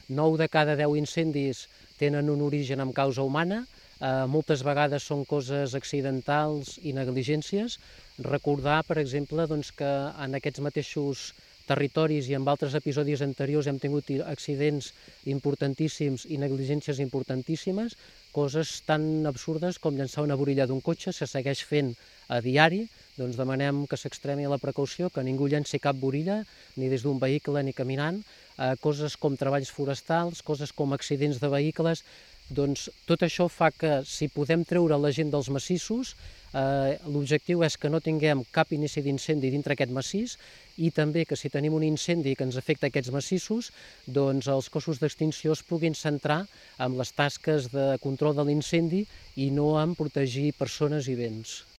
9 de cada 10 incendis tenen un origen amb causa humana, moltes vegades són coses accidentals i negligències. Recordar, per exemple, que en aquests mateixos territoris i en altres episodis anteriors hem tingut accidents importantíssims i negligències importantíssimes, coses tan absurdes com llançar una borilla d'un cotxe, se segueix fent a diari, doncs demanem que s'extremi la precaució, que ningú llenci cap borilla, ni des d'un vehicle ni caminant, coses com treballs forestals, coses com accidents de vehicles. Doncs tot això fa que, si podem treure la gent dels massissos, l'objectiu és que no tinguem cap inici d'incendi dintre aquest massís i també que si tenim un incendi que ens afecta aquests massissos, doncs els cossos d'extinció es puguin centrar en les tasques de control de l'incendi i no en protegir persones i béns.